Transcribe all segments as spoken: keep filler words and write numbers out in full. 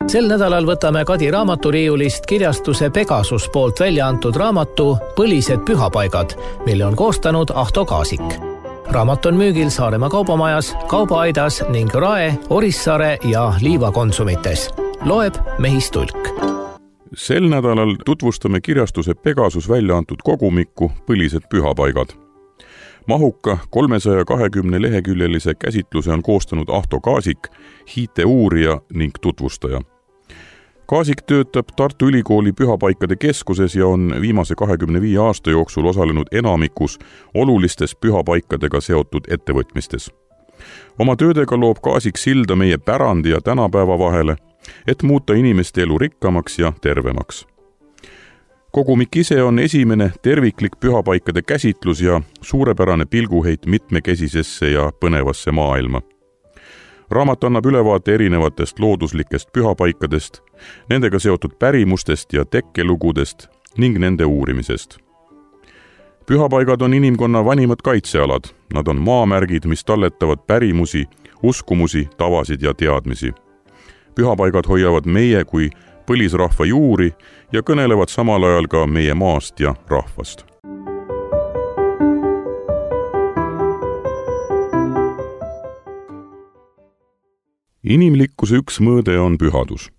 Sel nädalal võtame Kadi raamaturiiulist kirjastuse Pegasus poolt välja antud raamatu Põlised pühapaigad, mille on koostanud Ahto Kaasik. Raamat on müügil Saaremaa kaubamajas, Kaubaaidas ning Rae, Orissaare ja Liiva konsumites. Loeb Mehis Tulk. Sel nädalal tutvustame kirjastuse Pegasus välja antud kogumikku Põlised pühapaigad. Mahuka kolmesaja kahekümne leheküljelise käsitluse on koostanud Ahto Kaasik, hiite uurija ning tutvustaja. Kaasik töötab Tartu Ülikooli pühapaikade keskuses ja on viimase kahekümne viie aasta jooksul osalenud enamikus olulistes pühapaikadega seotud ettevõtmistes. Oma töödega loob Kaasik silda meie pärandi ja tänapäeva vahele, et muuta inimeste elu rikkamaks ja tervemaks. Kogumik ise on esimene terviklik pühapaikade käsitlus ja suurepärane pilguheit mitmekesisesse ja põnevasse maailma. Raamat annab ülevaate erinevatest looduslikest pühapaikadest, nendega seotud pärimustest ja tekkelugudest ning nende uurimisest. Pühapaigad on inimkonna vanimad kaitsealad. Nad on maamärgid, mis talletavad pärimusi, uskumusi, tavasid ja teadmisi. Pühapaigad hoiavad meie kui põlisrahva juuri ja kõnelevad samal ajal ka meie maast ja rahvast. Inimlikkuse üks mõõde on pühadus.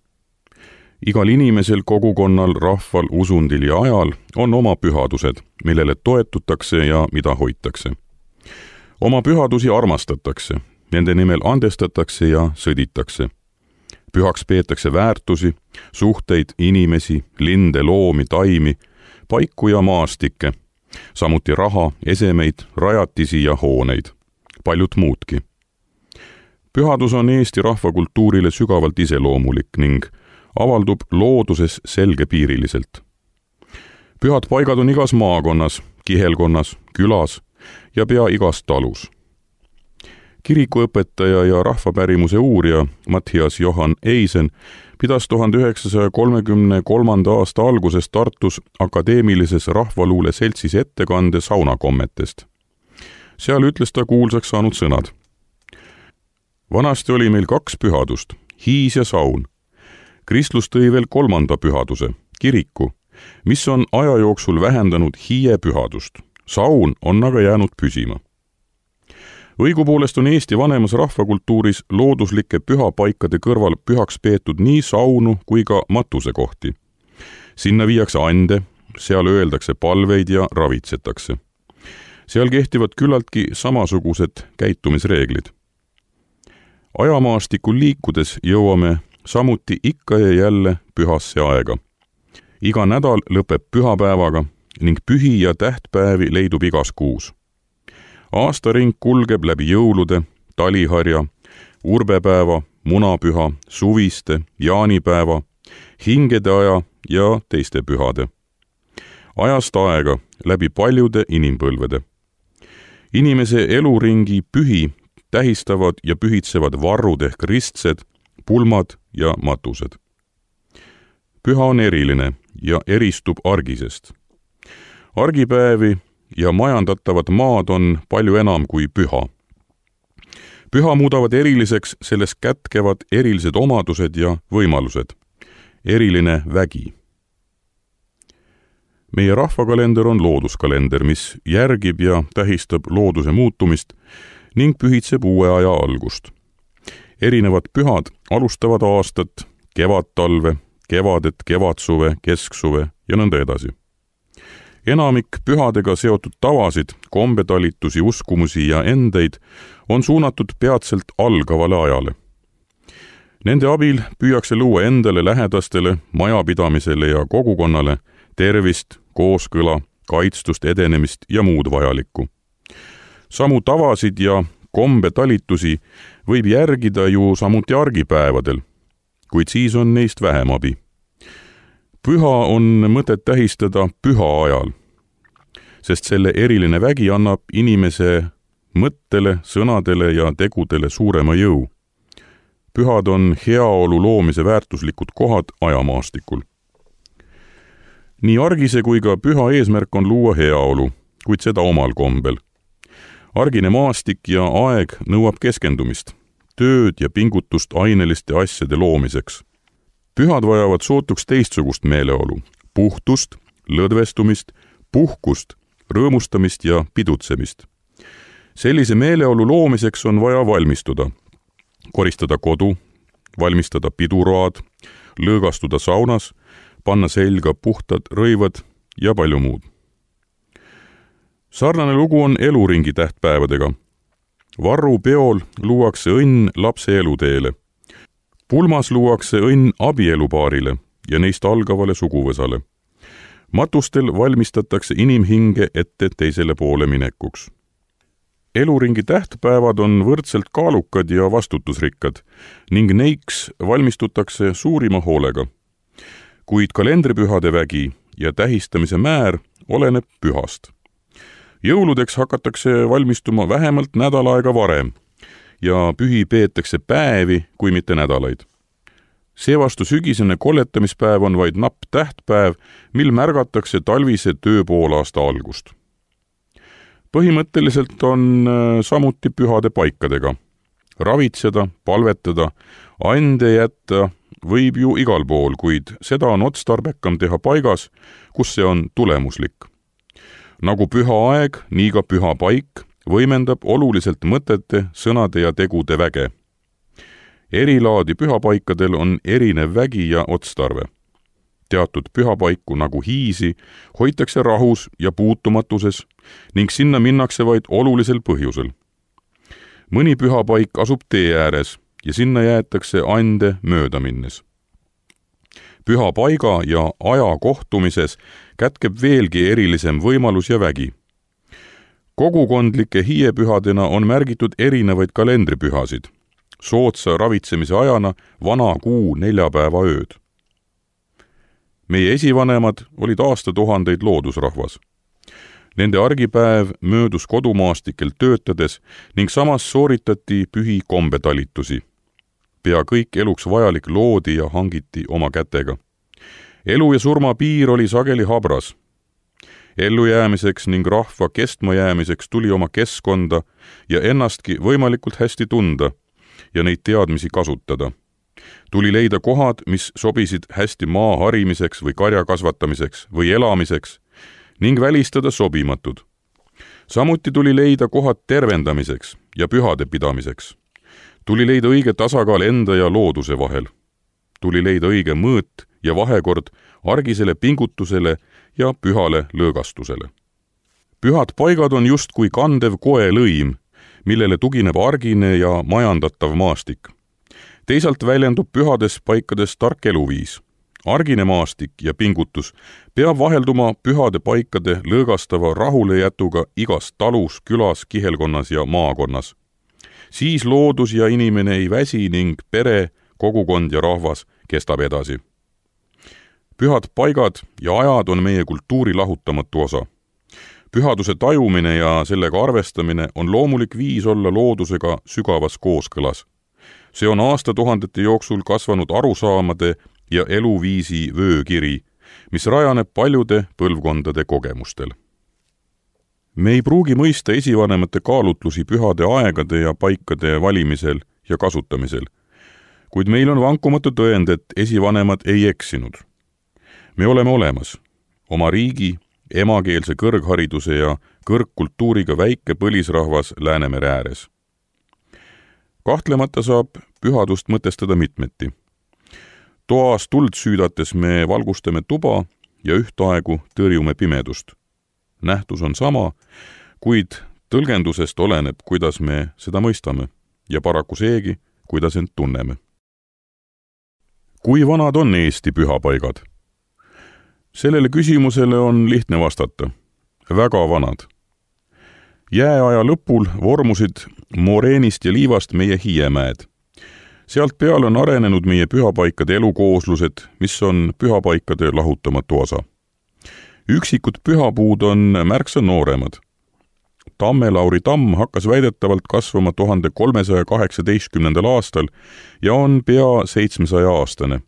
Igal inimesel, kogukonnal, rahval, usundil ja ajal on oma pühadused, millele toetutakse ja mida hoitakse. Oma pühadusi armastatakse, nende nimel andestatakse ja sõditakse. Pühaks peetakse väärtusi, suhteid, inimesi, linde, loomi, taimi, paiku ja maastikke, samuti raha, esemeid, rajatisi ja hooneid, paljut muudki. Pühadus on Eesti rahvakultuurile sügavalt iseloomulik ning avaldub looduses selgepiiriliselt. Pühad paigad on igas maakonnas, kihelkonnas, külas ja pea igas talus. Kirikuõpetaja ja rahvapärimuse uurija Mattias Johan Eisen pidas tuhande üheksasaja kolmekümne kolmanda aasta alguses Tartus akadeemilises rahvaluule seltsis ettekande saunakommetest. Seal ütles ta kuulsaks saanud sõnad. Vanasti oli meil kaks pühadust, hiis ja saun. Kristlus tõi veel kolmanda pühaduse, kiriku, mis on aja jooksul vähendanud hiie pühadust. Saun on aga jäänud püsima. Õigupoolest on Eesti vanemas rahvakultuuris looduslike pühapaikade kõrval pühaks peetud nii saunu kui ka matusekohti. Sinna viiakse ande, seal öeldakse palveid ja ravitsetakse. Seal kehtivad küllaltki samasugused käitumisreeglid. Ajamaastikul liikudes jõuame samuti ikka ja jälle pühasse aega. Iga nädal lõpeb pühapäevaga ning pühi ja tähtpäevi leidub igas kuus. Aastaring kulgeb läbi jõulude, taliharja, urbepäeva, munapüha, suviste, jaanipäeva, hingede aja ja teiste pühade. Ajast aega läbi paljude inimpõlvede. Inimese eluringi pühi tähistavad ja pühitsevad varrud ehk ristsed, pulmad ja matused. Püha on eriline ja eristub argisest. Argipäevi ja majandatavat maad on palju enam kui püha. Püha muudavad eriliseks selles kätkevad erilised omadused ja võimalused. Eriline vägi. Meie rahvakalender on looduskalender, mis järgib ja tähistab looduse muutumist ning pühitseb uue aja algust. Erinevad pühad alustavad aastat, kevad-talve, kevadet, kevadsuve, kesksuve ja nõnda edasi. Enamik pühadega seotud tavasid, kombetalitusi, uskumusi ja endeid on suunatud peatselt algavale ajale. Nende abil püüakse luua endale, lähedastele, majapidamisele ja kogukonnale tervist, kooskõla, kaitstust, edenemist ja muud vajalikku. Samu tavasid ja kombetalitusi võib järgida ju samuti argipäevadel, kuid siis on neist vähem abi. Püha on mõtet tähistada püha ajal, sest selle eriline vägi annab inimese mõttele, sõnadele ja tegudele suurema jõu. Pühad on heaolu loomise väärtuslikud kohad ajamaastikul. Nii argise kui ka püha eesmärk on luua heaolu, kuid seda omal kombel. Argine maastik ja aeg nõuab keskendumist, tööd ja pingutust aineliste asjade loomiseks. Pühad vajavad sootuks teistsugust meeleolu, puhtust, lõdvestumist, puhkust, rõõmustamist ja pidutsemist. Sellise meeleolu loomiseks on vaja valmistuda, koristada kodu, valmistada piduraad, lõõgastuda saunas, panna selga puhtad rõivad ja palju muud. Sarnane lugu on eluringi tähtpäevadega. Varru peol luuakse õnn lapse eluteele. Pulmas luuakse õnn abielupaarile ja neist algavale suguvõsale. Matustel valmistatakse inimhinge ette teisele poole minekuks. Eluringi tähtpäevad on võrdselt kaalukad ja vastutusrikkad ning neiks valmistutakse suurima hoolega. Kuid kalendripühade vägi ja tähistamise määr oleneb pühast. Jõuludeks hakatakse valmistuma vähemalt nädal aega varem ja pühi peetakse päevi, kui mitte nädalaid. Seevastu sügisene kolletamispäev on vaid napp tähtpäev, mil märgatakse talvise tööpoolaasta algust. Põhimõtteliselt on samuti pühade paikadega. Ravitseda, palvetada, ande jätta võib ju igal pool, kuid seda on otstarbekam teha paigas, kus see on tulemuslik. Nagu püha aeg, nii ka püha paik võimendab oluliselt mõtete, sõnade ja tegude väge. Erilaadi pühapaikadel on erinev vägi ja otstarve. Teatud pühapaiku nagu hiisi hoitakse rahus ja puutumatuses ning sinna minnakse vaid olulisel põhjusel. Mõni pühapaik asub tee ääres ja sinna jäetakse ande mööda minnes. Püha paiga ja aja kohtumises kätkeb veelgi erilisem võimalus ja vägi. Kogukondlike hiiepühadena on märgitud erinevaid kalendripühasid, sootsa ravitsemise ajana vana kuu neljapäeva ööd. Meie esivanemad olid aastatuhandeid loodusrahvas. Nende argipäev möödus kodumaastikel töötades ning samas sooritati pühi kombetalitusi. Pea kõik eluks vajalik loodi ja hangiti oma kätega. Elu ja surma piir oli sageli habras. Ellujäämiseks ning rahva kestmajäämiseks tuli oma keskkonda ja ennastki võimalikult hästi tunda ja neid teadmisi kasutada. Tuli leida kohad, mis sobisid hästi maa harimiseks või karja kasvatamiseks või elamiseks ning välistada sobimatud. Samuti tuli leida kohad tervendamiseks ja pühade pidamiseks. Tuli leida õige tasakaal enda ja looduse vahel. Tuli leida õige mõõt ja vahekord argisele pingutusele ja pühale lõõgastusele. Pühad paigad on just kui kandev koelõim, millele tugineb argine ja majandatav maastik. Teisalt väljendub pühades paikades tark eluviis. Argine maastik ja pingutus peab vahelduma pühade paikade lõõgastava rahulejätuga igas talus, külas, kihelkonnas ja maakonnas. Siis loodus ja inimene ei väsi ning pere, kogukond ja rahvas kestab edasi. Pühad paigad ja ajad on meie kultuuri lahutamatu osa. Pühaduse tajumine ja sellega arvestamine on loomulik viis olla loodusega sügavas kooskõlas. See on aastatuhandete jooksul kasvanud arusaamade ja eluviisi vöökiri, mis rajaneb paljude põlvkondade kogemustel. Me ei pruugi mõista esivanemate kaalutlusi pühade aegade ja paikade valimisel ja kasutamisel, kuid meil on vankumatu tõend, et esivanemad ei eksinud. Me oleme olemas, oma riigi, emakeelse kõrghariduse ja kõrgkultuuriga väike põlisrahvas Läänemere ääres. Kahtlemata saab pühadust mõtestada mitmeti. Toas tuld süüdates me valgustame tuba ja ühtaegu tõrjume pimedust. Nähtus on sama, kuid tõlgendusest oleneb, kuidas me seda mõistame ja paraku seegi, kuidas end tunneme. Kui vanad on Eesti pühapaigad? Sellele küsimusele on lihtne vastata. Väga vanad. Jääaja lõpul vormusid moreenist ja liivast meie hiiemäed. Sealt peale on arenenud meie pühapaikade elukooslused, mis on pühapaikade lahutamatu osa. Üksikud pühapuud on märksa nooremad. Tamme-Lauri tamm hakkas väidetavalt kasvama tuhande kolmesaja kaheksateistkümnendal aastal ja on pea seitsmesaja aastane.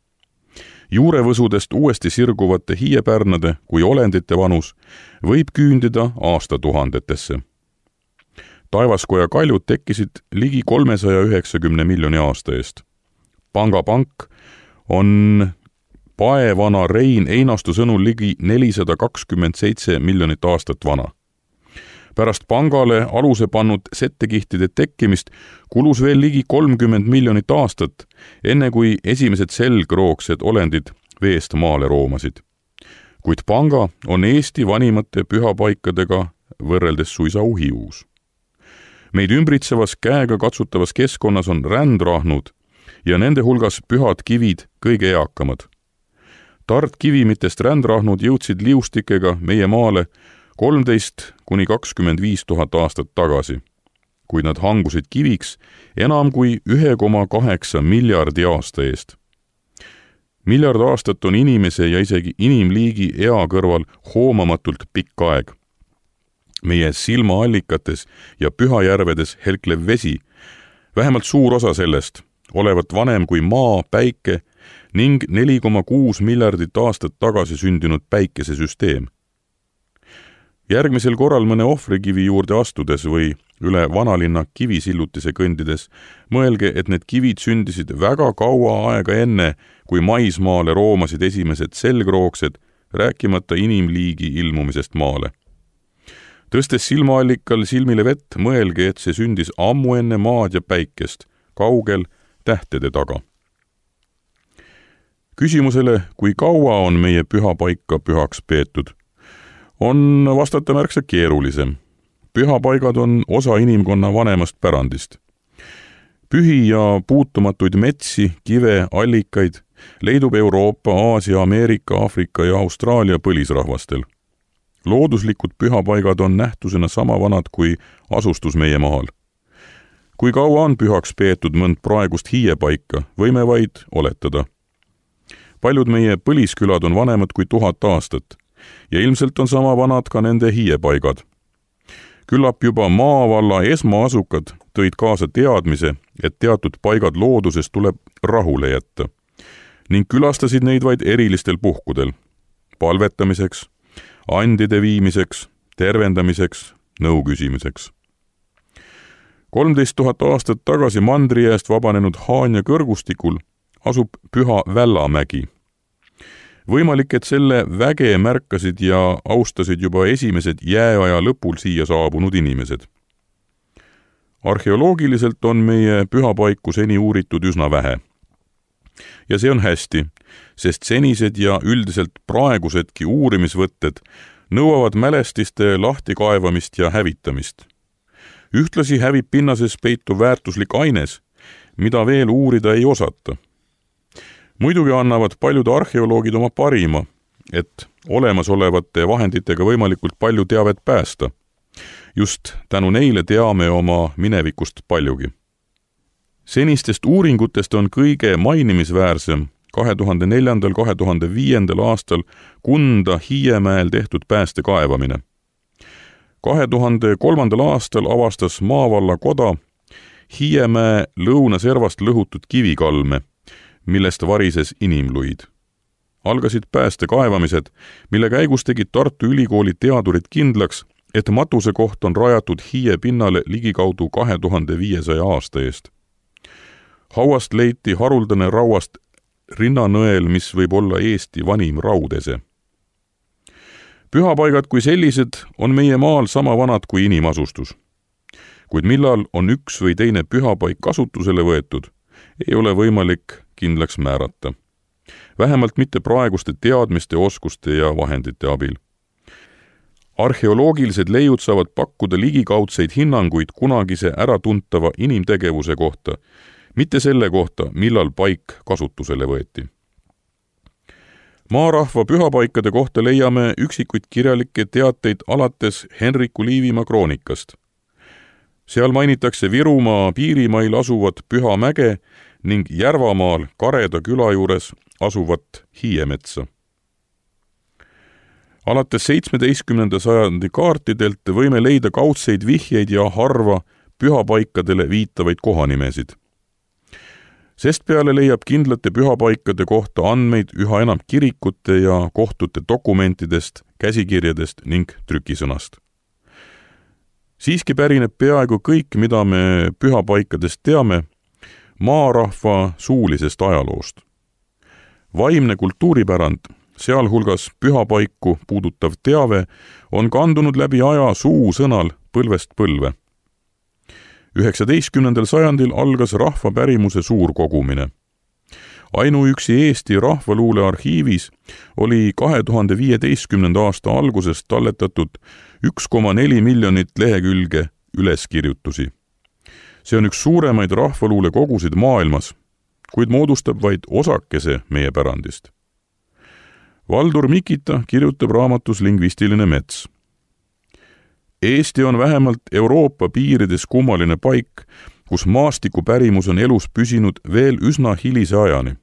Juurevõsudest uuesti sirguvate hiiepärnade kui olendite vanus võib küündida aastatuhandetesse. Taevaskoja kaljud tekkisid ligi kolmesaja üheksakümne miljoni aasta eest. Pangapank on paevana Rein Einastu sõnul ligi nelisada kakskümmend seitse miljonit aastat vana. Pärast pangale aluse pannud settekihtide tekkimist kulus veel ligi kolmkümmend miljonit aastat, enne kui esimesed selgroogsed olendid veest maale roomasid. Kuid panga on Eesti vanimate pühapaikadega võrreldes suisa uhiuus. Meid ümbritsevas käega katsutavas keskkonnas on rändrahnud ja nende hulgas pühad kivid kõige eakamad. Tartkivimitest rändrahnud jõudsid liustikega meie maale kolmteist kuni kakskümmend viis tuhat aastat tagasi, kuid nad hangusid kiviks enam kui üks koma kaheksa miljardi aasta eest. Miljard aastat on inimese ja isegi inimliigi ea kõrval hoomamatult pikk aeg. Meie silmaallikates ja pühajärvedes helklev vesi, vähemalt suur osa sellest, olevat vanem kui maa, päike ning neli koma kuus miljardit aastat tagasi sündinud päikesesüsteem. Järgmisel korral mõne ohvrikivi juurde astudes või üle vanalinna kivisillutise kõndides mõelge, et need kivid sündisid väga kaua aega enne, kui maismaale roomasid esimesed selgroogsed, rääkimata inimliigi ilmumisest maale. Tõstes silmaallikal silmile vett, mõelge, et see sündis ammu enne maad ja päikest, kaugel tähtede taga. Küsimusele, kui kaua on meie pühapaika pühaks peetud, on vastata märksa keerulisem. Pühapaigad on osa inimkonna vanemast pärandist. Pühi ja puutumatuid metsi, kive, allikaid leidub Euroopa, Aasia, Ameerika, Aafrika ja Austraalia põlisrahvastel. Looduslikud pühapaigad on nähtusena sama vanad kui asustus meie maal. Kui kaua on pühaks peetud mõnd praegust hiiepaika, võime vaid oletada. Paljud meie põliskülad on vanemad kui tuhat aastat ja ilmselt on sama vanad ka nende hiiepaigad. Küllap juba maavalla esmaasukad tõid kaasa teadmise, et teatud paigad looduses tuleb rahule jätta ning külastasid neid vaid erilistel puhkudel, palvetamiseks, andide viimiseks, tervendamiseks, nõu küsimiseks. kolmteist tuhat aastat tagasi mandrijääst vabanenud Haanja kõrgustikul asub Püha Vällamägi. Võimalik, et selle väge märkasid ja austasid juba esimesed jääaja lõpul siia saabunud inimesed. Arheoloogiliselt on meie pühapaiku seni uuritud üsna vähe. Ja see on hästi, sest senised ja üldiselt praegusedki uurimisvõtted nõuavad mälestiste lahtikaevamist ja hävitamist. Ühtlasi hävib pinnases peitu väärtuslik aines, mida veel uurida ei osata. Muidugi annavad paljud arheoloogid oma parima, et olemasolevate vahenditega võimalikult palju teavet päästa. Just tänu neile teame oma minevikust paljugi. Senistest uuringutest on kõige mainimisväärsem kahe tuhande neljandal kahe tuhande viiendal aastal Kunda Hiiemäel tehtud pääste kaevamine. kahe tuhande kolmandal aastal avastas Maavalla koda Hiiemäe lõunaservast lõhutud kivikalme, millest varises inimluid. Algasid pääste kaevamised, mille käigus tegid Tartu Ülikooli teadurid kindlaks, et matuse koht on rajatud Hiie pinnale ligikaudu kahe tuhande viiesaja aasta eest. Hauast leiti haruldane rauast rinnanõel, mis võib olla Eesti vanim raudese. Pühapaigad kui sellised on meie maal sama vanad kui inimasustus. Kuid millal on üks või teine pühapaik kasutusele võetud, ei ole võimalik kindlaks määrata. Vähemalt mitte praeguste teadmiste, oskuste ja vahendite abil. Arheoloogilised leiud saavad pakkuda ligikaudseid hinnanguid kunagise äratuntava inimtegevuse kohta, mitte selle kohta, millal paik kasutusele võeti. Maarahva pühapaikade kohta leiame üksikuid kirjalikke teateid alates Henriku Liivimaa kroonikast. Seal mainitakse Virumaa piirimail asuvat Pühamäge ning Järvamaal Kareda küla juures asuvat Hiiemetsa. Alates seitsmeteistkümnenda sajandi kaartidelt võime leida kaudseid vihjeid ja harva pühapaikadele viitavaid kohanimesid. Sest peale leiab kindlate pühapaikade kohta andmeid üha enam kirikute ja kohtute dokumentidest, käsikirjadest ning trükisõnast. Siiski pärineb peaaegu kõik, mida me pühapaikadest teame, maarahva suulisest ajaloost. Vaimne kultuuripärand, sealhulgas pühapaiku puudutav teave, on kandunud läbi aja suusõnal põlvest põlve. üheksateistkümnendal sajandil algas rahvapärimuse suur kogumine. Ainuüksi Eesti Rahvaluule arhiivis oli kahe tuhande viieteistkümnenda aasta algusest talletatud üks koma neli miljonit lehekülge üleskirjutusi. See on üks suuremaid rahvaluule kogusid maailmas, kuid moodustab vaid osakese meie pärandist. Valdur Mikita kirjutab raamatus Lingvistiline mets. Eesti on vähemalt Euroopa piirides kummaline paik, kus maastikupärimus on elus püsinud veel üsna hilise ajani.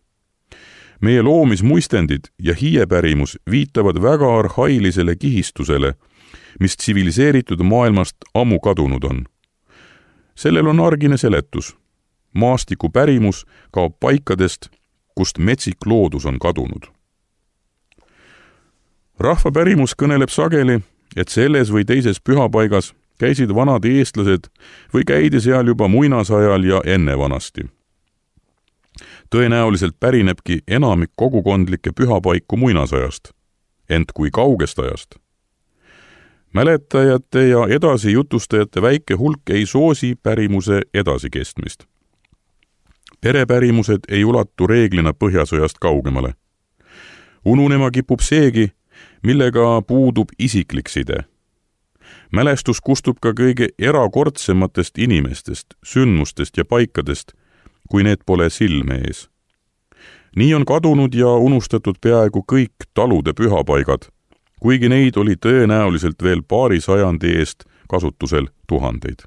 Meie loomismuistendid ja hiiepärimus viitavad väga arhailisele kihistusele, mis tsiviliseeritud maailmast ammu kadunud on. Sellel on argine seletus. Maastikupärimus kaob paikadest, kust metsik loodus on kadunud. Rahvapärimus kõneleb sageli, et selles või teises pühapaigas käisid vanad eestlased või käidi seal juba muinasajal ja enne vanasti. Tõenäoliselt pärinebki enamik kogukondlikke pühapaiku muinasajast, ent kui kaugest ajast. Mäletajate ja edasi jutustajate väike hulk ei soosi pärimuse edasikestmist. Perepärimused ei ulatu reeglina Põhjasõjast kaugemale. Ununema kipub seegi, millega puudub isiklik side. Mälestus kustub ka kõige erakordsematest inimestest, sündmustest ja paikadest, kui need pole silme ees. Nii on kadunud ja unustatud peaaegu kõik talude pühapaigad, kuigi neid oli tõenäoliselt veel paari sajandi eest kasutusel tuhandeid.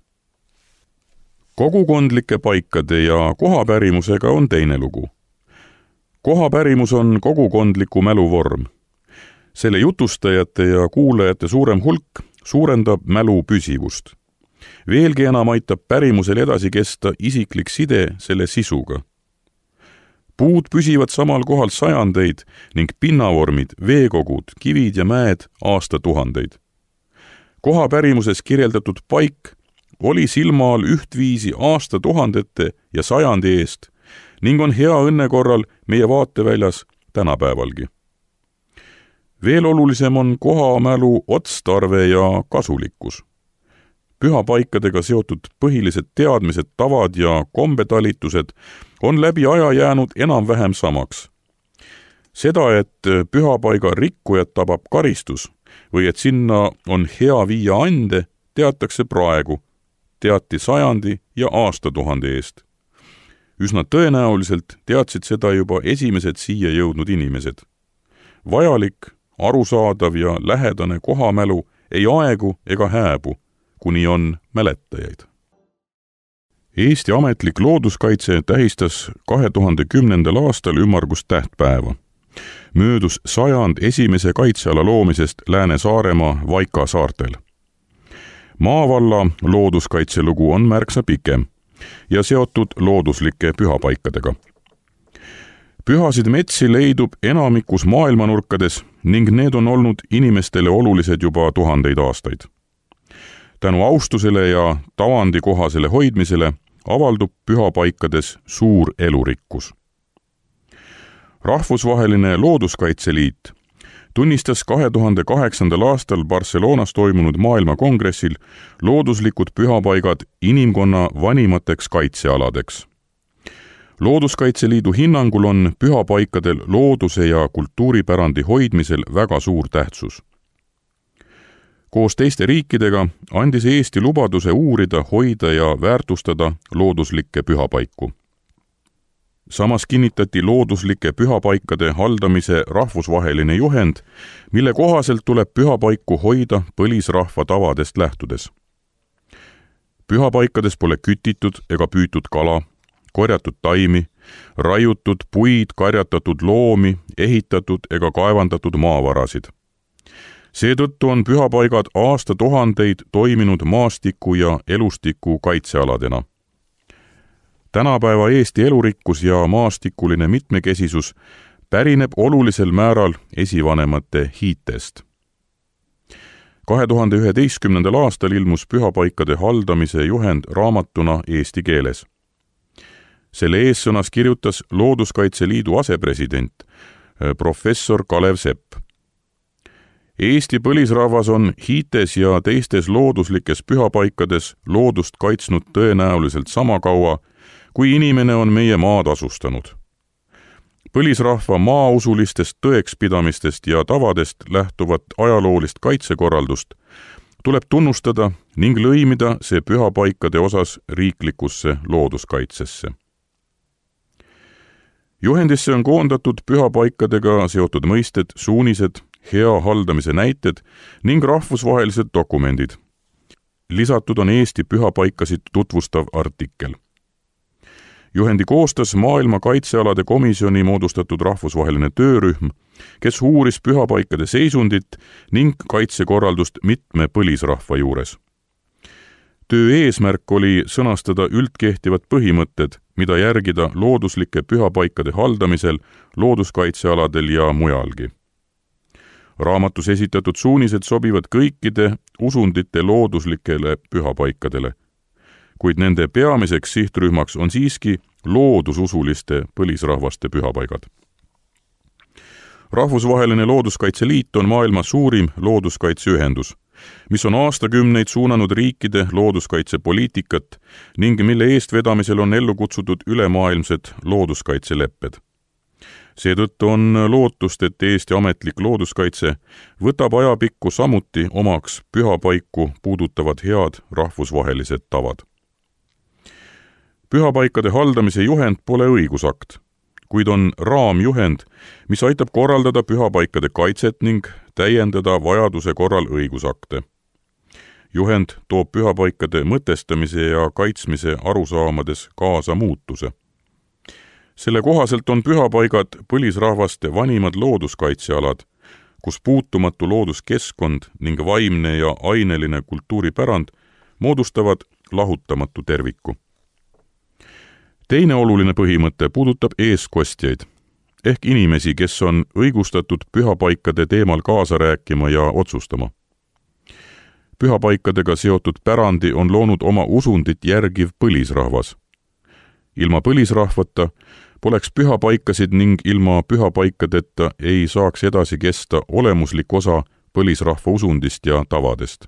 Kogukondlike paikade ja kohapärimusega on teine lugu. Kohapärimus on kogukondliku mälu vorm. Selle jutustajate ja kuulajate suurem hulk suurendab mälu püsivust. Veelgi enam aitab pärimusel edasi kesta isiklik side selle sisuga. Puud püsivad samal kohal sajandeid ning pinnavormid, veekogud, kivid ja mäed aastatuhandeid. Kohapärimuses kirjeldatud paik oli silma all ühtviisi aastatuhandete ja sajandi eest ning on hea õnne korral meie vaateväljas tänapäevalgi. Veel olulisem on kohamälu otstarve ja kasulikkus. Pühapaikadega seotud põhilised teadmised, tavad ja kombetalitused on läbi aja jäänud enam-vähem samaks. Seda, et pühapaiga rikkujat tabab karistus või et sinna on hea viia ande, teatakse praegu, teati sajandi ja aastatuhande eest. Üsna tõenäoliselt teadsid seda juba esimesed siia jõudnud inimesed. Vajalik, arusaadav ja lähedane kohamälu ei aegu ega hääbu, kuni on mäletajaid. Eesti ametlik looduskaitse tähistas kahe tuhande kümnendal aastal ümmargust tähtpäeva. Möödus sajand esimese kaitseala loomisest Lääne-Saaremaa Vaika saartel. Maavalla looduskaitselugu on märksa pikem ja seotud looduslike pühapaikadega. Pühasid metsi leidub enamikus maailmanurkades ning need on olnud inimestele olulised juba tuhandeid aastaid. Tänu austusele ja tavandikohasele hoidmisele avaldub pühapaikades suur elurikkus. Rahvusvaheline Looduskaitseliit tunnistas kahe tuhande kaheksandal aastal Barcelonas toimunud maailmakongressil looduslikud pühapaigad inimkonna vanimateks kaitsealadeks. Looduskaitseliidu hinnangul on pühapaikadel looduse ja kultuuripärandi hoidmisel väga suur tähtsus. Koos teiste riikidega andis Eesti lubaduse uurida, hoida ja väärtustada looduslikke pühapaiku. Samas kinnitati looduslike pühapaikade haldamise rahvusvaheline juhend, mille kohaselt tuleb pühapaiku hoida põlisrahva tavadest lähtudes. Pühapaikades pole kütitud ega püütud kala, korjatud taimi, raiutud puid, karjatatud loomi, ehitatud ega kaevandatud maavarasid. Seetõttu on pühapaigad aastatuhandeid toiminud maastiku ja elustiku kaitsealadena. Tänapäeva Eesti elurikkus ja maastikuline mitmekesisus pärineb olulisel määral esivanemate hiitest. kahe tuhande üheteistkümnendal aastal ilmus pühapaikade haldamise juhend raamatuna eesti keeles. Selle eessõnas kirjutas Looduskaitse Liidu asepresident, professor Kalev Sepp. Eesti põlisrahvas on hiites ja teistes looduslikes pühapaikades loodust kaitsnud tõenäoliselt sama kaua, kui inimene on meie maad asustanud. Põlisrahva maausulistest tõekspidamistest ja tavadest lähtuvat ajaloolist kaitsekorraldust tuleb tunnustada ning lõimida see pühapaikade osas riiklikusse looduskaitsesse. Juhendisse on koondatud pühapaikadega seotud mõisted, suunised, hea haldamise näited ning rahvusvahelised dokumendid. Lisatud on Eesti pühapaikasid tutvustav artikkel. Juhendi koostas maailma kaitsealade komisjoni moodustatud rahvusvaheline töörühm, kes uuris pühapaikade seisundit ning kaitsekorraldust mitme põlisrahva juures. Töö eesmärk oli sõnastada üldkehtivad põhimõtted, mida järgida looduslike pühapaikade haldamisel, looduskaitsealadel ja mujalgi. Raamatus esitatud suunised sobivad kõikide usundite looduslikele pühapaikadele, kuid nende peamiseks sihtrühmaks on siiski loodususuliste põlisrahvaste pühapaigad. Rahvusvaheline Looduskaitseliit on maailma suurim looduskaitseühendus, mis on aastakümneid suunanud riikide looduskaitsepoliitikat ning mille eestvedamisel on ellu kutsutud ülemaailmsed looduskaitselepped. Seetõttu on lootust, et Eesti ametlik looduskaitse võtab ajapikku samuti omaks pühapaiku puudutavad head rahvusvahelised tavad. Pühapaikade haldamise juhend pole õigusakt, kuid on raamjuhend, mis aitab korraldada pühapaikade kaitset ning täiendada vajaduse korral õigusakte. Juhend toob pühapaikade mõtestamise ja kaitsmise arusaamades kaasa muutuse. Selle kohaselt on pühapaigad põlisrahvaste vanimad looduskaitsealad, kus puutumatu looduskeskkond ning vaimne ja aineline kultuuripärand moodustavad lahutamatu terviku. Teine oluline põhimõte puudutab eeskostjaid, ehk inimesi, kes on õigustatud pühapaikade teemal kaasa rääkima ja otsustama. Pühapaikadega seotud pärandi on loonud oma usundit järgiv põlisrahvas. Ilma põlisrahvata poleks pühapaikasid ning ilma pühapaikadeta ei saaks edasi kesta olemuslik osa põlisrahva usundist ja tavadest.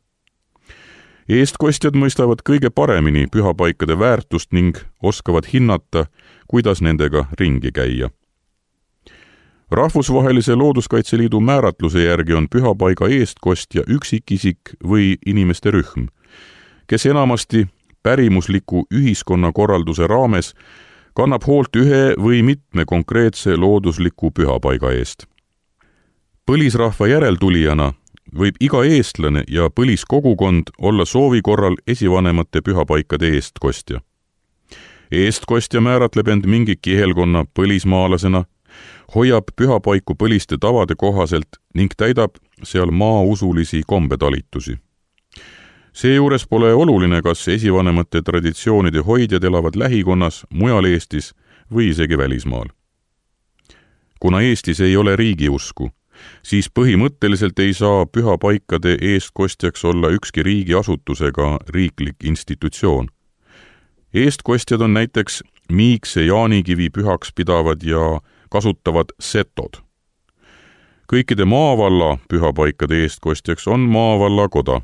Eestkostjad mõistavad kõige paremini pühapaikade väärtust ning oskavad hinnata, kuidas nendega ringi käia. Rahvusvahelise Looduskaitseliidu määratluse järgi on pühapaiga eestkostja üksikisik või inimeste rühm, kes enamasti pärimusliku ühiskonnakorralduse raames kannab hoolt ühe või mitme konkreetse loodusliku pühapaiga eest. Põlisrahva järeltulijana võib iga eestlane ja põliskogukond olla soovi korral esivanemate pühapaikade eestkostja. Eestkostja määratleb end mingi kihelkonna põlismaalasena, hoiab pühapaiku põliste tavade kohaselt ning täidab seal maausulisi kombetalitusi. Seejuures pole oluline, kas esivanemate traditsioonide hoidjad elavad lähikonnas, mujal Eestis või isegi välismaal. Kuna Eestis ei ole riigiusku, siis põhimõtteliselt ei saa pühapaikade eestkostjaks olla ükski riigiasutusega riiklik institutsioon. Eestkostjad on näiteks Miikse Jaanikivi pühaks pidavad ja kasutavad setod. Kõikide maavalla pühapaikade eestkostjaks on maavallakoda,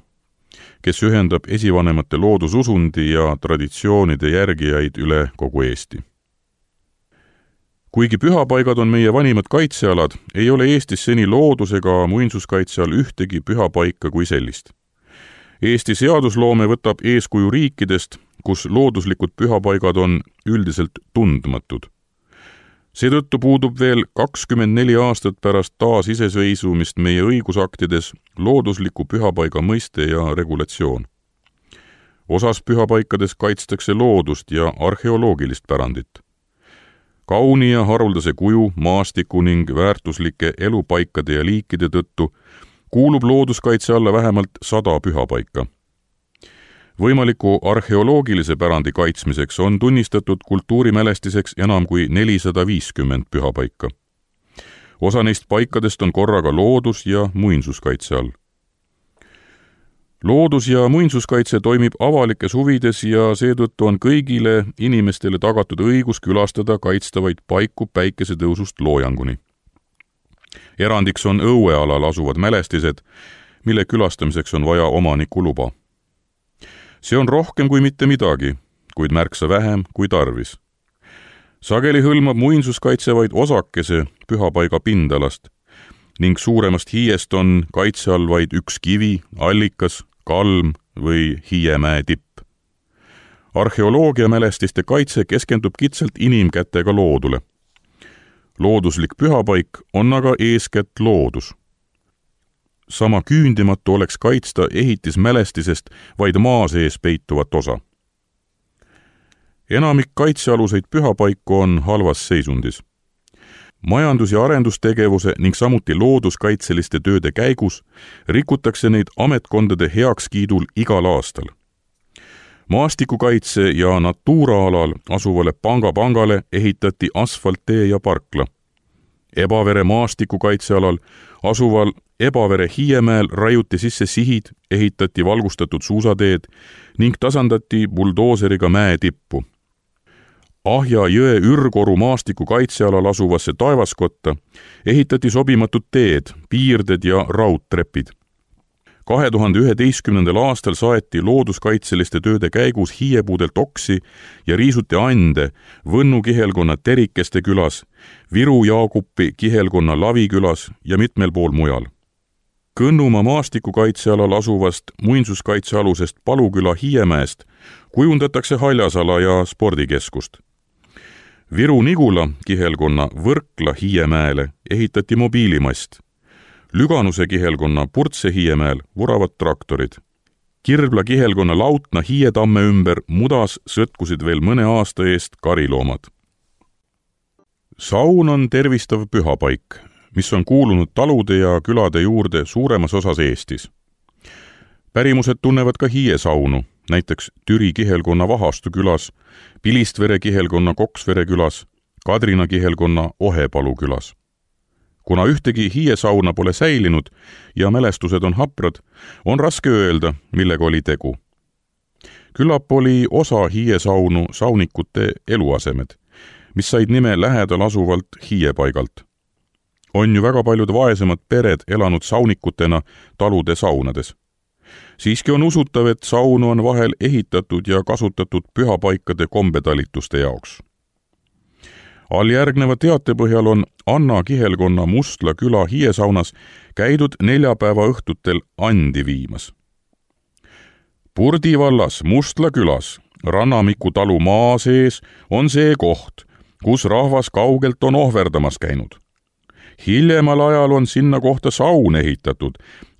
kes ühendab esivanemate loodususundi ja traditsioonide järgijaid üle kogu Eesti. Kuigi pühapaigad on meie vanimad kaitsealad, ei ole Eestis seni loodus- ega muinsuskaitse all ühtegi pühapaika kui sellist. Eesti seadusloome võtab eeskuju riikidest, kus looduslikud pühapaigad on üldiselt tundmatud. Seetõttu puudub veel kakskümmend neli aastat pärast taasiseseisvumist meie õigusaktides loodusliku pühapaiga mõiste ja regulatsioon. Osas pühapaikades kaitstakse loodust ja arheoloogilist pärandit. Kauni ja haruldase kuju, maastiku ning väärtuslike elupaikade ja liikide tõttu kuulub looduskaitse alla vähemalt sada pühapaika. Võimaliku arheoloogilise pärandi kaitsmiseks on tunnistatud kultuurimälestiseks enam kui nelisada viiskümmend pühapaika. Osa neist paikadest on korraga loodus- ja muinsuskaitse all. loodus- ja muinsuskaitse toimib avalikes huvides ja seetõttu on kõigile inimestele tagatud õigus külastada kaitstavaid paiku päikesetõusust loojanguni. Erandiks on õuealal asuvad mälestised, mille külastamiseks on vaja omaniku luba. See on rohkem kui mitte midagi, kuid märksa vähem kui tarvis. Sageli hõlmab muinsuskaitse vaid osakese pühapaiga pindalast ning suuremast hiiest on kaitse all vaid üks kivi, allikas, kalm või Hiiemäe tipp. Arheoloogiamälestiste kaitse keskendub kitsalt inimkätega loodule. Looduslik pühapaik on aga eeskätt loodus. Sama küündimatu oleks kaitsta ehitismälestisest vaid maa sees peituvat osa. Enamik kaitsealuseid pühapaiku on halvas seisundis. Majandus- ja arendustegevuse ning samuti looduskaitseliste tööde käigus rikutakse neid ametkondade heakskiidul igal aastal. Maastikukaitse ja Natura-alal asuvale Panga-pangale ehitati asfalttee ja parkla. Ebavere maastikukaitsealal asuval Ebavere Hiiemäel raiuti sisse sihid, ehitati valgustatud suusateed ning tasandati buldooseriga mäe tippu. Ahja jõe Ürgoru maastikukaitsealal asuvasse taevaskotta ehitati sobimatud teed, piirded ja raudtrepid. kahe tuhande üheteistkümnendal aastal saeti looduskaitseliste tööde käigus hiiepuudelt oksi ja riisuti ande Võnnu kihelkonna Terikeste külas, Viru Jaagupi kihelkonna Lavikülas ja mitmel pool mujal. Kõnnumaa maastikukaitsealal asuvast muinsuskaitsealusest Paluküla Hiiemäest kujundatakse haljasala ja spordikeskust. Viru-Nigula kihelkonna Võrkla Hiiemäele ehitati mobiilimast. Lüganuse kihelkonna Purtse Hiiemäel vuravad traktorid. Kirbla kihelkonna Lautna Hiietamme ümber mudas sõtkusid veel mõne aasta eest kariloomad. Saun on tervistav pühapaik, mis on kuulunud talude ja külade juurde suuremas osas Eestis. Pärimused tunnevad ka hiiesaunu, näiteks Türi kihelkonna Vahastu külas, Pilistvere kihelkonna Koksvere külas, Kadrina kihelkonna Ohepalu külas. Kuna ühtegi hiiesauna pole säilinud ja mälestused on haprad, on raske öelda, millega oli tegu. Küllap oli osa hiiesaunu saunikute eluasemed, mis said nime lähedal asuvalt hiiepaigalt. On ju väga paljud vaesemad pered elanud saunikutena talude saunades. Siiski on usutav, et saunu on vahel ehitatud ja kasutatud pühapaikade kombetalituste jaoks. Alljärgneva teate põhjal on Anna kihelkonna Mustla küla hiiesaunas käidud neljapäeva õhtutel andi viimas. Purdi vallas Mustla külas Rannamiku talu maa sees on see koht, kus rahvas kaugelt on ohverdamas käinud. Hiljemal ajal on sinna kohta saun ehitatud,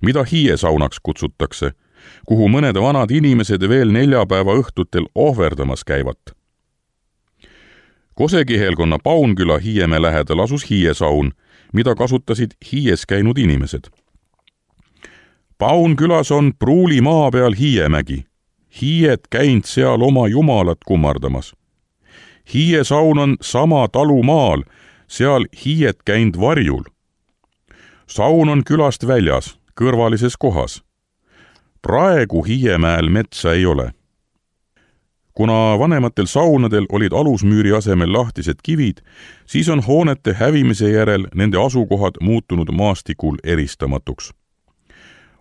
mida hiiesaunaks kutsutakse, kuhu mõned vanad inimesed veel neljapäeva õhtutel ohverdamas käivad. Kose kihelkonna Paunküla Hiiemäe lähedal asus hiiesaun, mida kasutasid hiies käinud inimesed. Paunkülas on pruuli maa peal Hiiemägi. Hiied käinud seal oma jumalat kummardamas. Hiiesaun on sama talu maal, seal hiied käinud varjul. Saun on külast väljas, kõrvalises kohas. Praegu Hiiemäel metsa ei ole. Kuna vanematel saunadel olid alusmüüri asemel lahtised kivid, siis on hoonete hävimise järel nende asukohad muutunud maastikul eristamatuks.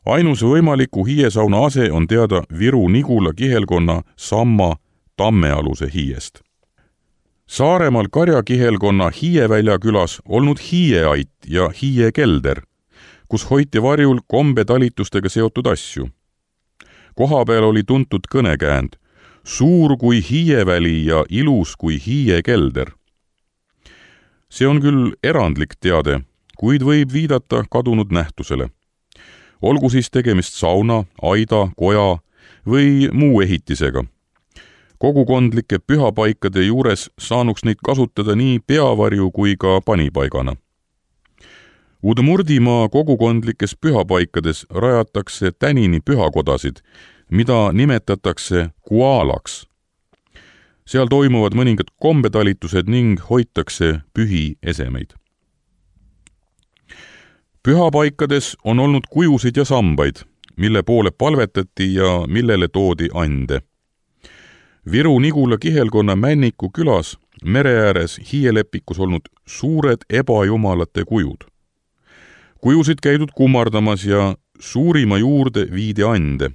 Ainus võimaliku hiiesauna ase on teada Viru-Nigula kihelkonna Samma Tammealuse hiiest. Saaremaal Karja kihelkonna Hiievälja külas olnud hiieait ja hiiekelder, kus hoiti varjul kombetalitustega seotud asju. Kohapeal oli tuntud kõnekäänd, suur kui hiieväli ja ilus kui hiiekelder. See on küll erandlik teade, kuid võib viidata kadunud nähtusele. Olgu siis tegemist sauna, aida, koja või muu ehitisega. Kogukondlike pühapaikade juures saanuks neid kasutada nii peavarju kui ka panipaigana. Udmurdimaa kogukondlikes pühapaikades rajatakse tänini pühakodasid, mida nimetatakse kuaalaks. Seal toimuvad mõningad kombetalitused ning hoitakse pühi esemeid. Pühapaikades on olnud kujusid ja sambaid, mille poole palvetati ja millele toodi ande. Viru-Nigula kihelkonna Männiku külas mere ääres hiielepikus olnud suured ebajumalate kujud. Kujusid käidud kummardamas ja suurima juurde viidi ande.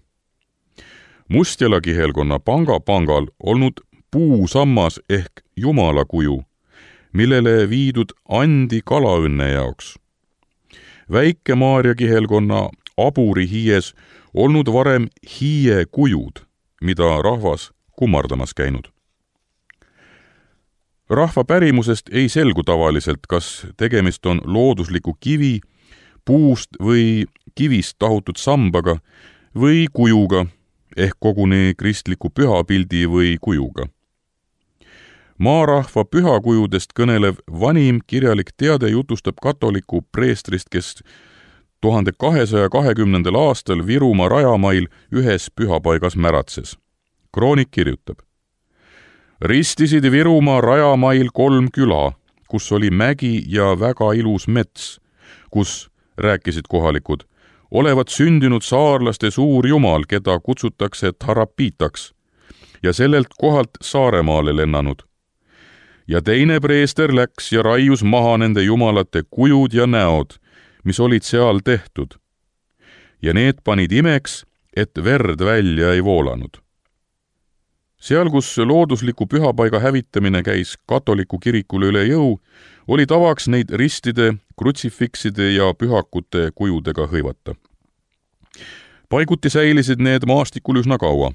Mustjala kihelkonna panga pangal olnud puusammas ehk jumala kuju, millele viidud andi kalaõnne jaoks. Väike Maarja kihelkonna aburi hiies olnud varem hiie kujud, mida rahvas kummardamas käinud. Rahva pärimusest ei selgu tavaliselt, kas tegemist on loodusliku kivi, puust või kivist tahutud sambaga või kujuga, ehk koguni kristliku pühapildi või kujuga. Maarahva pühakujudest kõnelev vanim kirjalik teade jutustab katoliku preestrist, kes tuhande kahesaja kahekümnendal aastal Virumaa rajamail ühes pühapaigas märatses. Kroonik kirjutab: ristisid Virumaa rajamail kolm küla, kus oli mägi ja väga ilus mets, kus, rääkisid kohalikud, olevat sündinud saarlaste suur jumal, keda kutsutakse Tarapitaks, ja sellelt kohalt Saaremaale lennanud. Ja teine preester läks ja raius maha nende jumalate kujud ja näod, mis olid seal tehtud. Ja need panid imeks, et verd välja ei voolanud. Seal, kus loodusliku pühapaiga hävitamine käis katoliku kirikule üle jõu, oli tavaks neid ristide, krutsifikside ja pühakute kujudega hõivata. Paiguti säilisid need maastikul üsna kaua.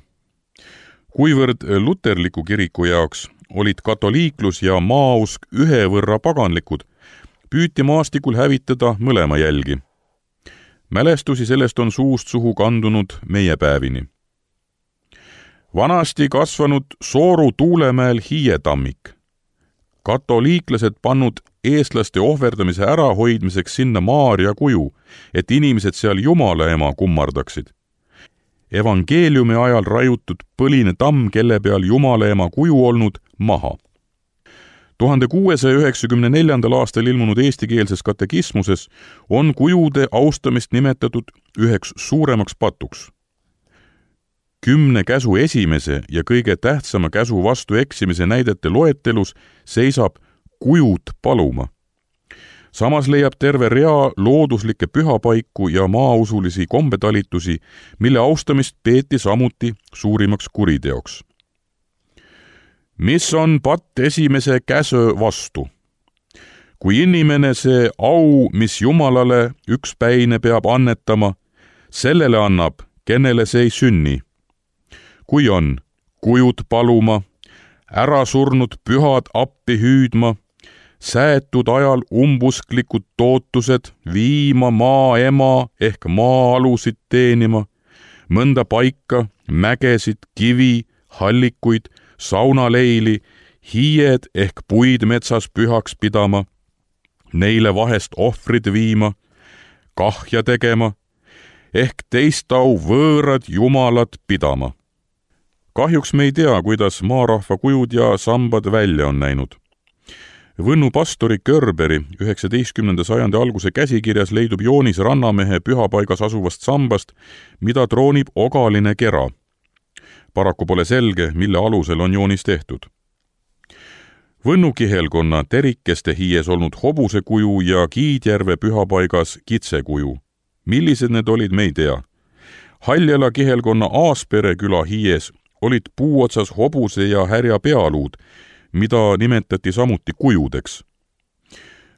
Kuivõrd luterliku kiriku jaoks olid katoliiklus ja maausk ühe võrra paganlikud, püüti maastikul hävitada mõlema jälgi. Mälestusi sellest on suust suhu kandunud meie päevini. Vanasti kasvanud Sooru Tuulemäel hiietammik. Katoliiklased pannud eestlaste ohverdamise ärahoidmiseks sinna Maarja kuju, et inimesed seal Jumala ema kummardaksid. Evangeeliumi ajal raiutud põline tamm, kelle peal Jumala ema kuju olnud, maha. tuhande kuuesaja üheksakümne neljandal aastal ilmunud eestikeelses katekismuses on kujude austamist nimetatud üheks suuremaks patuks. Kümne käsu esimese ja kõige tähtsama käsu vastu eksimise näidete loetelus seisab kujud paluma. Samas leiab terve rea looduslikke pühapaiku ja maausulisi kombetalitusi, mille austamist peeti samuti suurimaks kuriteoks. Mis on patt esimese käsö vastu? Kui inimene see au, mis Jumalale ükspäine peab annetama, sellele annab, kenele see ei sünni. Kui on kujud paluma, ära surnud pühad appi hüüdma, säätud ajal umbusklikud tootused viima maa ema ehk maa-alusid teenima, mõnda paika, mägesid, kivi, hallikuid, saunaleili, hiied ehk puid metsas pühaks pidama, neile vahest ohvrid viima, kahja tegema, ehk teist au võõrad jumalad pidama. Kahjuks me ei tea, kuidas maarahva kujud ja sambad välja on näinud. Võnnu pastori Körberi üheksateistkümnenda sajandi alguse käsikirjas leidub joonis rannamehe pühapaigas asuvast sambast, mida troonib ogaline kera. Paraku pole selge, mille alusel on joonis tehtud. Võnnu kihelkonna terikeste hiies olnud hobuse kuju ja Kiidjärve pühapaigas kitse kuju. Millised need olid, me ei tea. Haljala kihelkonna Aaspere küla hiies olid puuotsas hobuse ja härja pealuud, mida nimetati samuti kujudeks.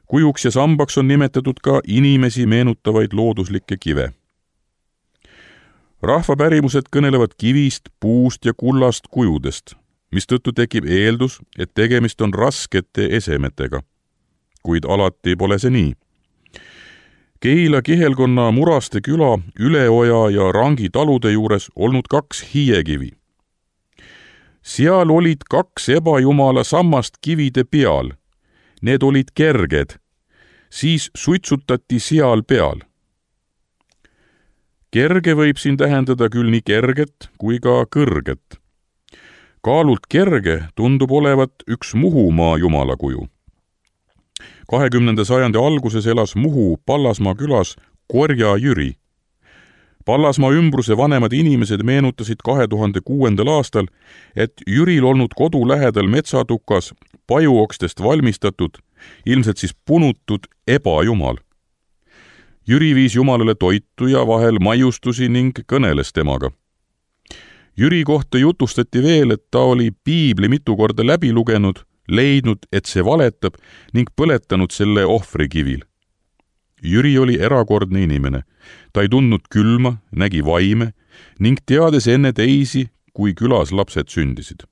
Kujuks ja sambaks on nimetatud ka inimesi meenutavaid looduslikke kive. Rahvapärimused kõnelevad kivist, puust ja kullast kujudest, mistõttu tekib eeldus, et tegemist on raskete esemetega. Kuid alati pole see nii. Keila kihelkonna Muraste küla Üleoja ja Rangi talude juures olnud kaks hiiekivi. Seal olid kaks ebajumala sammast kivide peal. Need olid kerged. Siis suitsutati seal peal. Kerge võib siin tähendada küll nii kerget kui ka kõrget. Kaalult kerge tundub olevat üks Muhumaa jumala kuju. kahekümnenda sajandi alguses elas Muhu Pallasmaa külas Korja Jüri. Pallasmaa ümbruse vanemad inimesed meenutasid kahe tuhande kuuendal aastal, et Jüril olnud kodu lähedal metsatukas pajuokstest valmistatud, ilmselt siis punutud ebajumal. Jüri viis Jumalale toitu ja vahel maiustusi ning kõneles temaga. Jüri kohta jutustati veel, et ta oli piibli mitu korda läbi lugenud, leidnud, et see valetab ning põletanud selle ohvrikivil. Jüri oli erakordne inimene. Ta ei tundnud külma, nägi vaime ning teades enne teisi, kui külas lapsed sündisid.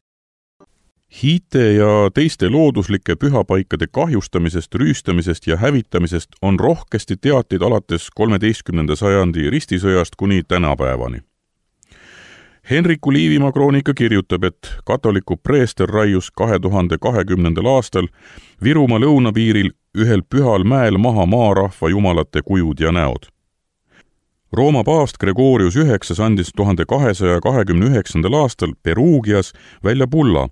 Hiite ja teiste looduslike pühapaikade kahjustamisest, rüüstamisest ja hävitamisest on rohkesti teateid alates kolmeteistkümnenda sajandi ristisõjast kuni tänapäevani. Henriku Liivimaa kroonika kirjutab, et katoliku preester raius kahe tuhande kahekümnendal aastal Virumaa lõunapiiril ühel pühal mäel maha maarahva jumalate kujud ja näod. Rooma paavst Gregorius üheksas andis tuhande kahesaja kahekümne üheksandal aastal Perugias välja bulla,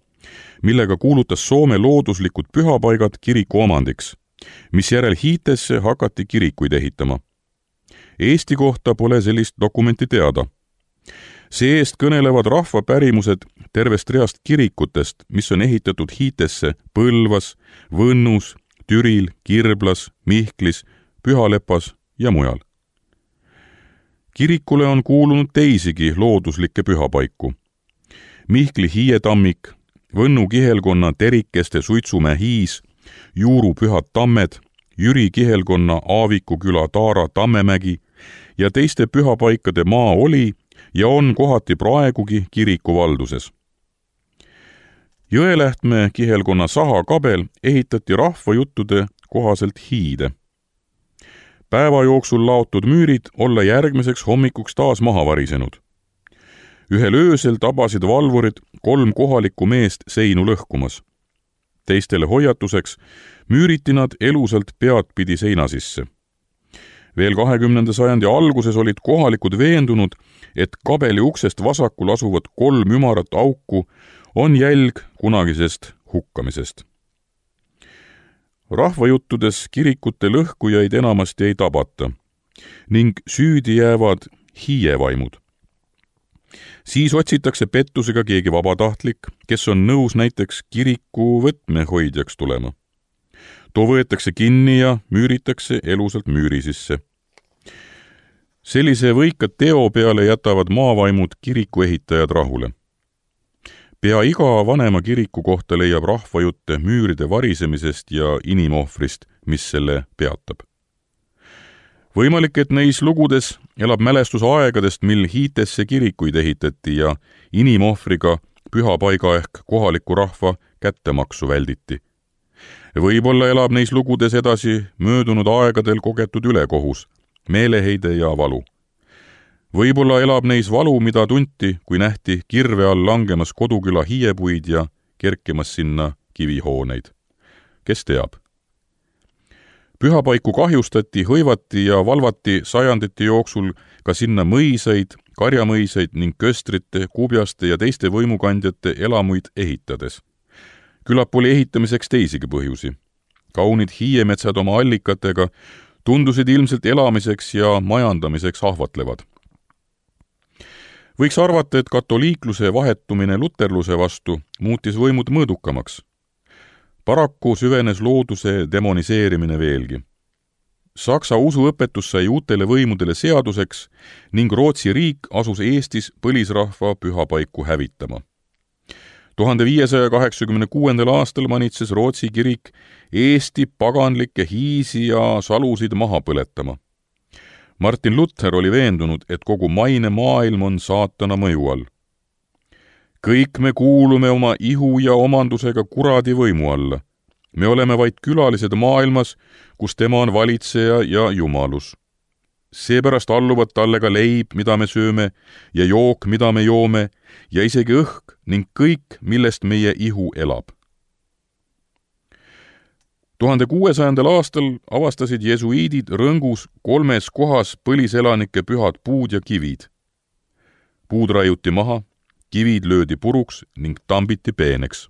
millega kuulutas Soome looduslikud pühapaigad kiriku omandiks, mis järel Hiitesse hakati kirikuid ehitama. Eesti kohta pole sellist dokumenti teada. See eest kõnelevad rahvapärimused tervest reast kirikutest, mis on ehitatud Hiitesse Põlvas, Võnnus, Türil, Kirblas, Mihklis, Pühalepas ja mujal. Kirikule on kuulunud teisigi looduslikke pühapaiku. Mihkli hiietammik, Võnnu kihelkonna Terikeste Suitsumäe hiis, Juuru pühad tammed, Jüri kihelkonna Aaviku küla Taara Tammemägi ja teiste pühapaikade maa oli ja on kohati praegugi kiriku valduses. Jõelähtme kihelkonna Saha kabel ehitati rahvajuttude kohaselt hiide. Päeva jooksul laotud müürid olla järgmiseks hommikuks taas maha varisenud. Ühel öösel tabasid valvurid kolm kohalikku meest seinu lõhkumas. Teistele hoiatuseks müüriti nad elusalt peadpidi seina sisse. Veel kahekümnenda sajandi alguses olid kohalikud veendunud, et kabeli uksest vasakul asuvad kolm ümarat auku on jälg kunagisest hukkamisest. Rahvajuttudes kirikute lõhkujaid enamasti ei tabata ning süüdi jäävad hiievaimud. Siis otsitakse pettusega keegi vabatahtlik, kes on nõus näiteks kiriku võtmehoidjaks tulema. Too võetakse kinni ja müüritakse elusalt müüri sisse. Sellise võika teo peale jätavad maavaimud kiriku ehitajad rahule. Pea iga vanema kiriku kohta leiab rahvajutte müüride varisemisest ja inimohvrist, mis selle peatab. Võimalik, et neis lugudes elab mälestus aegadest, mil Hiitesse kirikuid ehitati ja inimohvriga pühapaiga ehk kohaliku rahva kättemaksu välditi. Võib-olla elab neis lugudes edasi möödunud aegadel kogetud ülekohus, meeleheide ja valu. Võib-olla elab neis valu, mida tunti, kui nähti kirve all langemas koduküla hiiepuid ja kerkimas sinna kivihooneid. Kes teab? Pühapaiku kahjustati, hõivati ja valvati sajandite jooksul ka sinna mõisaid, karjamõisaid ning köstrite, kubjaste ja teiste võimukandjate elamuid ehitades. Külap oli ehitamiseks teisigi põhjusi. Kaunid hiiemetsad oma allikatega tundusid ilmselt elamiseks ja majandamiseks ahvatlevad. Võiks arvata, et katoliikluse vahetumine luterluse vastu muutis võimud mõõdukamaks. Paraku süvenes looduse demoniseerimine veelgi. Saksa usuõpetus sai uutele võimudele seaduseks ning Rootsi riik asus Eestis põlisrahva pühapaiku hävitama. tuhande viiesaja kaheksakümne kuuendal aastal manitses Rootsi kirik Eesti paganlikke hiisi ja salusid maha põletama. Martin Luther oli veendunud, et kogu maine maailm on saatana mõju all. Kõik me kuulume oma ihu ja omandusega kuradi võimu alla. Me oleme vaid külalised maailmas, kus tema on valitseja ja jumalus. Seepärast alluvad talle ka leib, mida me sööme, ja jook, mida me joome, ja isegi õhk ning kõik, millest meie ihu elab. tuhande kuuesajandal aastal avastasid jesuiidid Rõngus kolmes kohas põliselanike pühad puud ja kivid. Puud raiuti maha, kivid löödi puruks ning tambiti peeneks.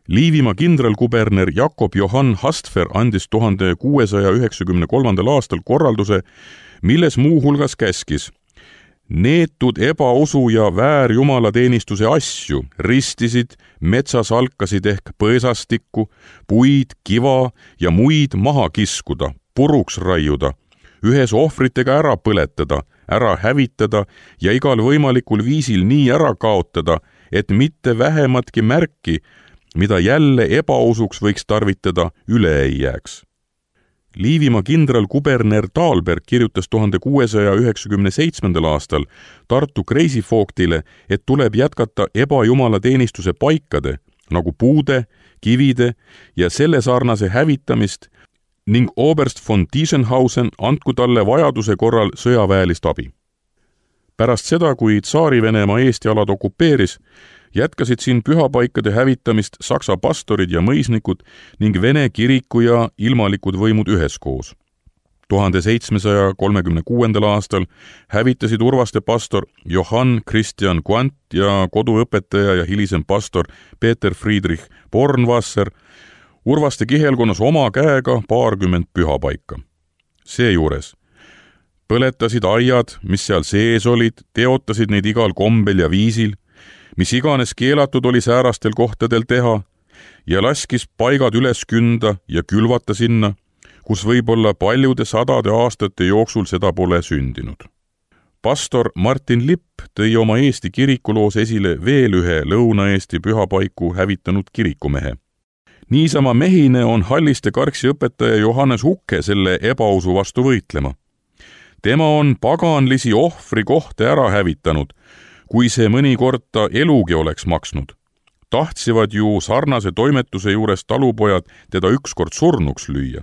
Liivimaa kindralkuberner Jakob Johann Hastfer andis tuhande kuuesaja üheksakümne kolmandal aastal korralduse, milles muuhulgas käskis: neetud ebausu ja väärjumalateenistuse asju ristisid, metsas alkasid ehk põõsastikku, puid, kiva ja muid maha kiskuda, puruks raiuda, ühes ohvritega ära põletada, ära hävitada ja igal võimalikul viisil nii ära kaotada, et mitte vähematki märki, mida jälle ebausuks võiks tarvitada, üle ei jääks. Liivimaa kindral kuberner Taalberg kirjutas tuhande kuuesaja üheksakümne seitsmendal aastal Tartu kreisifoogtile, et tuleb jätkata ebajumalateenistuse paikade, nagu puude, kivide ja selle sarnase hävitamist ning Oberst von Tiesenhausen andku talle vajaduse korral sõjaväelist abi. Pärast seda, kui Tsaari-Venemaa Eesti alad okupeeris, jätkasid siin pühapaikade hävitamist saksa pastorid ja mõisnikud ning Vene kiriku ja ilmalikud võimud üheskoos. tuhande seitsmesaja kolmekümne kuuendal aastal hävitasid Urvaste pastor Johann Christian Quandt ja koduõpetaja ja hilisem pastor Peter Friedrich Bornwasser Urvaste kihelkonnas oma käega paarkümmend pühapaika. Seejuures põletasid aiad, mis seal sees olid, teotasid neid igal kombel ja viisil, mis iganes keelatud oli säärastel kohtadel teha, ja laskis paigad üles künda ja külvata sinna, kus võib-olla paljude sadade aastate jooksul seda pole sündinud. Pastor Martin Lipp tõi oma Eesti kirikuloos esile veel ühe Lõuna-Eesti pühapaiku hävitanud kirikumehe. Niisama mehine on Halliste Karksi õpetaja Johannes Hukke selle ebausu vastu võitlema. Tema on paganlisi ohvri kohta ära hävitanud, kui see mõnikord ta elugi oleks maksnud. Tahtsivad ju sarnase toimetuse juures talupojad teda ükskord surnuks lüüa.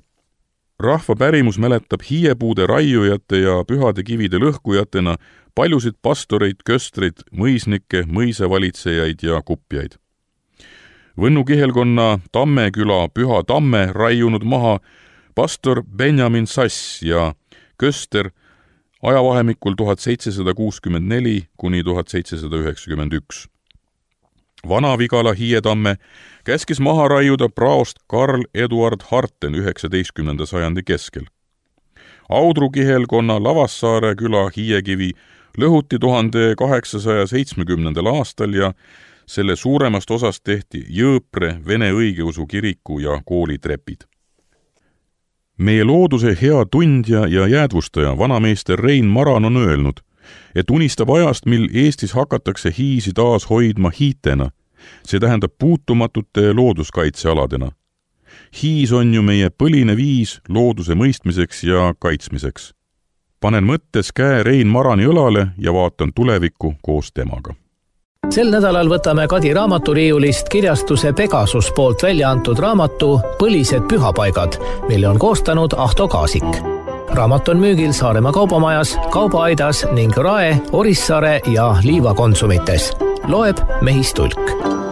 Rahva pärimus mäletab hiiepuude raiujate ja pühade kivide lõhkujatena paljusid pastoreid, köstreid, mõisnikke, mõisavalitsejaid ja kupjaid. Võnnu kihelkonna Tammeküla Püha Tamme raiunud maha pastor Benjamin Sass ja köster ajavahemikul tuhat seitsesada kuuskümmend neli kuni tuhat seitsesada üheksakümmend üks. Vana-Vigala Hiietamme käskis maha raiuda praost Karl Eduard Harten üheksateistkümnenda sajandi keskel. Audru kihelkonna Lavassaare küla Hiiekivi lõhuti tuhande kaheksasaja seitsmekümnendal aastal ja selle suuremast osast tehti Jõõpre Vene õigeusu kiriku ja kooli trepid. Meie looduse hea tundja ja jäädvustaja vanameister Rein Maran on öelnud, et unistab ajast, mil Eestis hakatakse hiisi taas hoidma hiitena, see tähendab puutumatute looduskaitsealadena. Hiis on ju meie põline viis looduse mõistmiseks ja kaitsmiseks. Panen mõttes käe Rein Marani õlale ja vaatan tulevikku koos temaga. Sel nädalal võtame Kadi raamaturiiulist kirjastuse Pegasus poolt välja antud raamatu Põlised pühapaigad, mille on koostanud Ahto Kaasik. Raamat on müügil Saaremaa kaubamajas, Kaubaaidas ning Rae, Orissaare ja Liiva konsumites. Loeb Mehis Tulk.